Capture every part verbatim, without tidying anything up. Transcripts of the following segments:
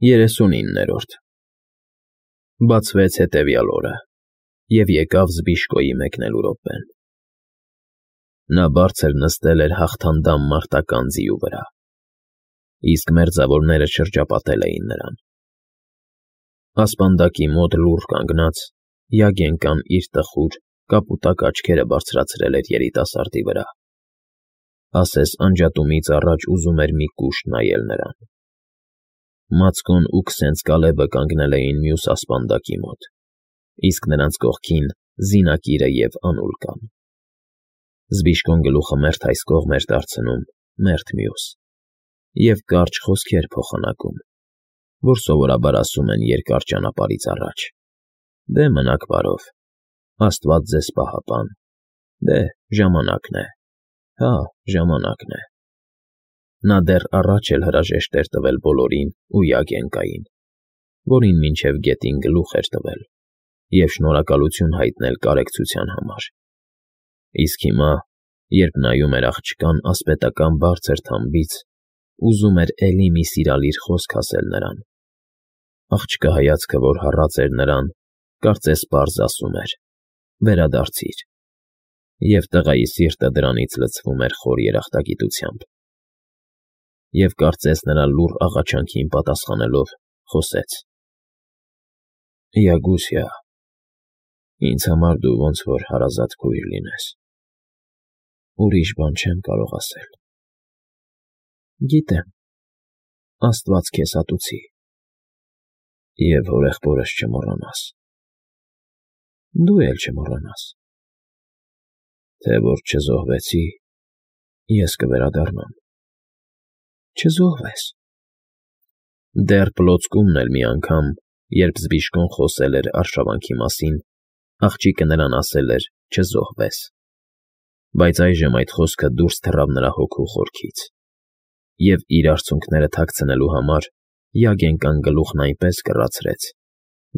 Երեսունիններորդ Բացվեց հետևյալ օրը, և եկավ Զբիշկոյի մեկնելու րոպեն. նա բարձր նստել էր հաղթանդամ մարտական ձիու վրա, իսկ մերձավորները շրջապատել էին նրան. ասպանդակի մոտ լուռ կանգնած, Յագենկան իր տխուր, կապուտակ աչքերը բարձրացրել էր երիտասարդի վրա, ասես անջատումից առաջ ուզում էր մի կուշտ նայել նրան. Մացկոն ու Քսենց֊Կալեբը կանգնել էին մյուս ասպանդակի մոտ, իսկ նրանց կողքին Զինակիրը և Անուլկան. Զբիշկոն գլուխը մերթ այս կողմ էր դարձնում, մերթ մյուս, և կարճ խոսքեր փոխանակում, որ սովորաբար ասում են երկար ճանապարհից առաջ. «Դե մնաք բարով, աստված ձեզ պահապան, դե ժամանակն է, հա, ժամանակն է»։ Նա դեռ առաջ էլ հրաժեշտ էր տվել բոլորին ու Յագենկային, որին մինչև գետին գլուխ էր տվել, և շնորհակալություն հայտնել կարեկցության համար, իսկ հիմա, երբ նայում էր աղջկան ասպետական բարձր թամբից, ուզում էր էլի մի սիրալիր խոսք ասել նրան. աղջկա հայացքը, որ հառած էր նրան, կարծես պարզ ասում էր. «Վերադարձիր», և տղայի սիրտը դրանից լցվում էր խոր երախտագիտությամբ, և կարծես նրա լուռ աղաչանքին պատասխանելով, խոսեց. «Յագուսյա, ինձ համար դու ոնց որ հարազատ քույր լինես, ուրիշ բան չեմ կարող ասել»։ «Գիտեմ, աստված քեզ ատուցի»։ «Եվ հորեղբորս չմոռանաս»։ «Դու էլ չմոռանաս»։ «Թե որ չզոհվեցի, ես կվերադառնամ»։ «Չզոհվես»։ Դեռ պլոցկումն էլ մի անգամ, երբ Զբիշկոն խոսել էր արշավանքի մասին, աղջիկը նրան ասել էր «չզոհվես», բայց այժմ այդ խոսքը դուրս թռավ նրա հոգու խորքից, և իր արցունքները թաքցնելու համար Յագենկան գլուխն այնպես կռացրեց,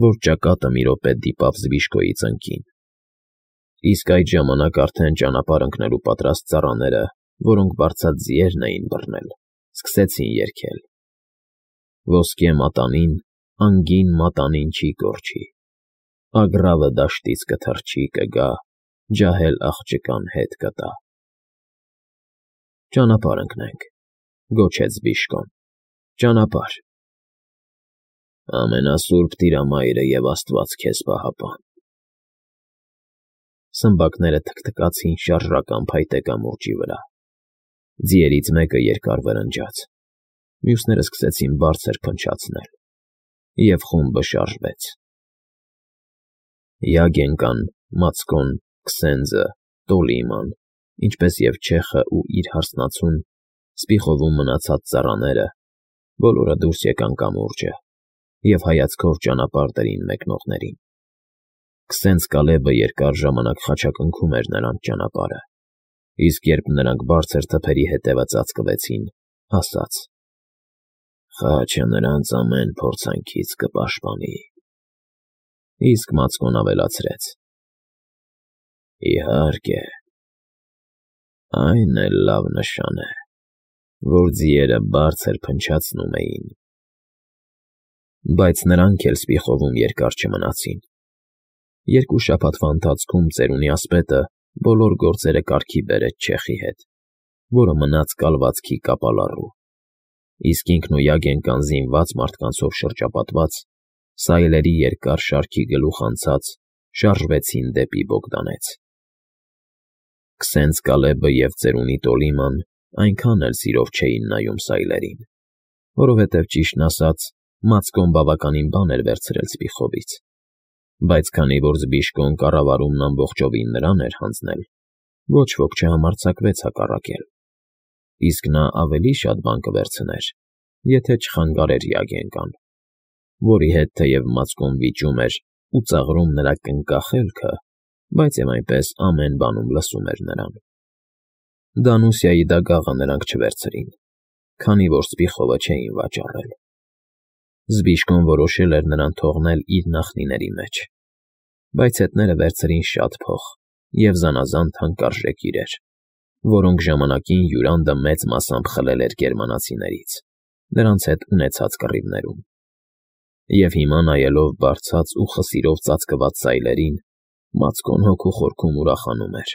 որ ճակատը մի րոպե դիպավ Զբիշկոյի ծնկին, իսկ այդ ժամանակ արդեն ճանապարհ ընկնելու պատրաստ ծառաները, որոնք բարձած ձիերն էին բռնել, սկսեցին երգել. Ոսկե մատանին, անգին մատանին չի կորչի, Ագռավը դաշտից կթռչի, կգա, ջահել աղջկան հետ կտա։ «Ճանապարհ ընկնենք», գոչեց Զբիշկոն, «ճանապարհ»։ «Ամենասուրբ Տիրամայրը և աստված քեզ պահապան»։ Սմբակները թքթքացին շարժական փայտե կամուրջի վրա, ձիերից մեկը երկար վրնջաց, մյուսները սկսեցին բարձր փնչացնել, և խումբը շարժվեց։ Յագենկան, Մացկոն, Քսենձը, Տոլիման, ինչպես և չեխը ու իր հարսնացուն, Սպիխովում մնացած ծառաները, բոլորը դուրս եկան կամուրջը և հայացքով ճանապարհ դրին մեկնողներին։ Քսենց֊Կալեբը երկար ժամանակ խաչակնքում էր նրանց ճանապարհը, իսկ երբ նրանք բարձր թփերի ետևը ծածկվեցին, ասաց. «Խաչը նրանց ամեն փորձանքից կպաշտպանի»։ Իսկ Մացկոն ավելացրեց. «Իհարկե, այն էլ լավ նշան է, որ ձիերը բարձր փնչացնում էին»։ Բայց նրանք էլ Սպիխովում երկար չմնացին։ Երկու շաբաթվա ընթացքում ծերունի ասպետը բոլոր գործերը կարգի բերեց չեխի հետ, որը մնաց կալվածքի կապալառու, իսկ ինքն ու Յագենկան զինված մարդկանցով շրջապատված, սայլերի երկար շարքի գլուխ անցած, շարժվեցին դեպի Բոգդանեց։ Քսենց֊Կալեբը և ծերունի Տոլիման այնքան էլ սիրով չէին նայում սայլերին, որովհետև, ճիշտն ասած, Մացկոն բավականին բան էր վերցրել Սպիխովից, բայց քանի որ Զբիշկոն կառավարումն ամբողջովին նրան էր հանձնել, ոչ ոք չհամարձակվեց հակառակել, իսկ նա ավելի շատ բան կվերցներ, եթե չխանգարեր Յագենկան, որի հետ թեև Մացկոն վիճում էր ու ծաղրում նրա կնկախելքը, բայց և այնպես ամեն բանում լսում էր նրան։ Դանուսիայի դագաղը նրանք չվերցրին, քանի որ Սպիխովը չէին վաճառել։ Զբիշկոն որոշել էր նրան թողնել իր նախնիների մեջ, բայց հետները վերցրին շատ փող և զանազան թանկարժեք իրեր, որոնք ժամանակին Յուրանդը մեծ մասամբ խլել էր գերմանացիներից, նրանց հետ ունեցած կռիվներում։ Եվ հիմա նայելով բարձած ու խսիրով ծածկված սայլերին, Մացկոն հոգու խորքում ուրախանում էր,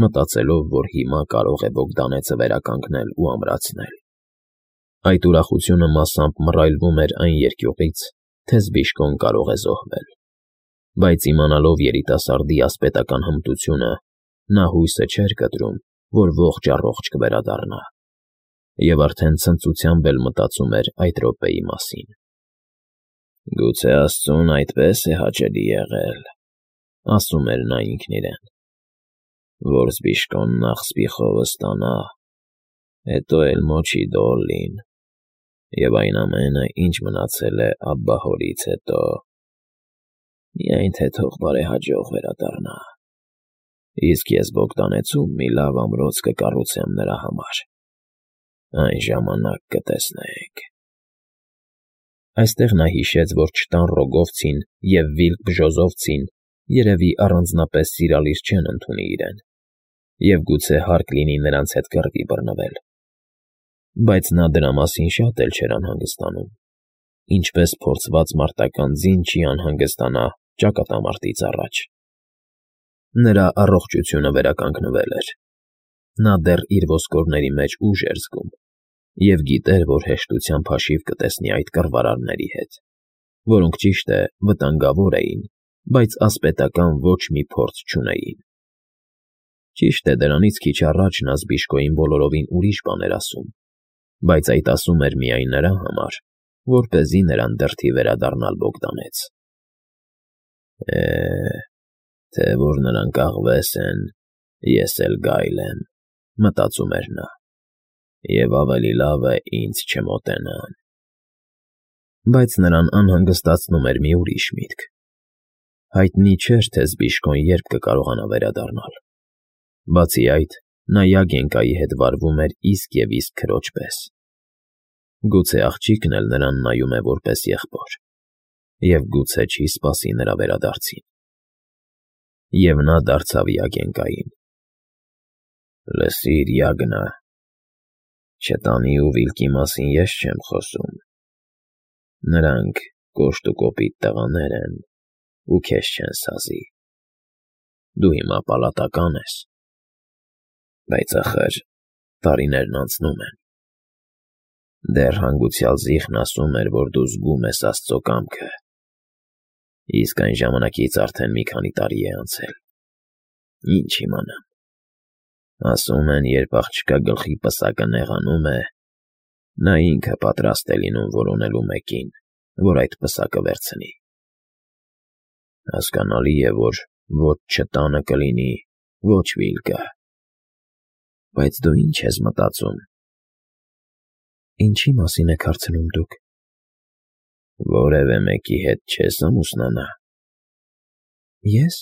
մտածելով, որ հիմա կարող է Բոգդանեցը վերականգնել ու ամրացնել։ Այդ ուրախությունը մասամբ մռայլվում էր այն երկյուղից, թե Զբիշկոն կարող է զոհվել, բայց իմանալով երիտասարդի ասպետական հմտությունը, նա հույսը չէր կտրում, որ ողջ-առողջ կվերադառնա, և արդեն ցնծությամբ էլ մտածում էր այդ րոպեի մասին։ «Գուցե աստծուն այդպես է հաճելի եղել,֊ ասում էր նա ինքն իրեն,֊ որ Զբիշկոն նախ սպիխովը ստանա, հետո էլ մոչի Դոլլին, և այն ամենը, ինչ մնացել է Աբբահորից հետո… Միայն թե թող բարեհաջող վերադառնա, իսկ ես Բոգդանեցում մի լավ ամրոց կկառուցեմ նրա համար… Այն ժամանակ կտեսնենք»։ Այստեղ նա հիշեց, որ չտան Ռոգովցին և Վիլկ Բժոզովցին երևի առանձնապես սիրալիր չեն ընդունի իրեն, և գուցե հարկ լինի նրանց հետ կռվի բռնվել, բայց նա դրա մասին շատ էլ չէր անհանգստանում, ինչպես փորձված մարտական ձին չի անհանգստանա ճակատամարտից առաջ։ Նրա առողջությունը վերականգնվել էր, նա դեռ իր ոսկորների մեջ ուժ էր զգում և գիտեր, որ հեշտությամբ հաշիվ կտեսնի այդ կռվարարների հետ, որոնք, ճիշտ է, վտանգավոր էին, բայց ասպետական ոչ մի փորձ չունեին։ Ճիշտ է, դրանից քիչ առաջ նա Զբիշկոյին բոլորովին ուրիշ բան էր ասում, բայց այդ ասում էր միայն նրա համար, որպեսզի նրան դրդի վերադառնալ Բոգդանեց։ «Է, թե որ նրանք աղվես են, ես էլ գայլ եմ,֊ մտածում էր նա,֊ և ավելի լավ է ինձ չմոտենան»։ Բայց նրան անհանգստացնում էր մի ուրիշ միտք. հայտնի չէր, թե Զբիշկոն երբ կկարողանա վերադառնալ։ Բացի այդ, նա Յագենկայի հետ վարվում էր իսկ և իսկ քրոջ պես։ Գուցե աղջիկն էլ նրան նայում է որպես եղբոր, և գուցե չի սպասի նրա վերադարձին։ Եվ նա դարձավ Յագենկային. «Լսիր, Յագնա, չտանի ու Վիլկի մասին ես չեմ խոսում. նրանք կոշտ ու կոպիտ տղաներ են ու քեզ չեն սազի։ Դու հիմա պալատական ես, բայց, ախր, տարիներն անցնում են։ Դեռ հանգուցյալ Զիխն ասում էր, որ դու զգում ես աստծո կամքը, իսկ այն ժամանակից արդեն մի քանի տարի է անցել։ Ինչ իմանամ… Ասում են, երբ աղջկա գլխի պսակը նեղանում է, նա ինքը պատրաստ է լինում որոնելու մեկին, որ այդ պսակը վերցնի։ Հասկանալի է, որ ոչ չտանը կլինի, ոչ Վիլկը։ Բայց դու ի՞նչ ես մտածում»։ «Ինչի՞ մասին եք հարցնում դուք»։ «Որևէ մեկի հետ չես ամուսնանա»։ «Ես…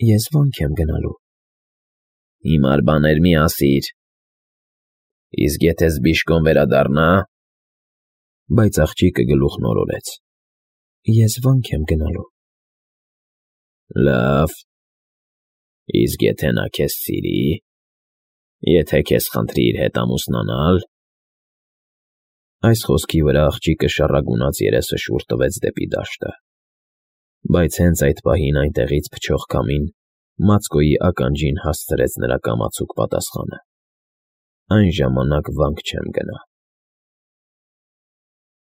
ես վանք եմ գնալու»։ «Հիմար բաներ մի ասիր։ Իսկ եթե Զբիշկոն վերադառնա…» Բայց աղջիկը գլուխն օրորեց. «Ես վանք եմ գնալու»։ «Լավ… Իսկ եթե նա քեզ սիրի… եթե քեզ խնդրի իր հետ ամուսնանալ…» Այս խոսքի վրա աղջիկը շառագունած երեսը շուռ տվեց դեպի դաշտը, բայց հենց այդ պահին այնտեղից փչող քամին Մացկոյի ականջին հասցրեց նրա կամացուկ պատասխանը. «Այն ժամանակ վանք չեմ գնա»։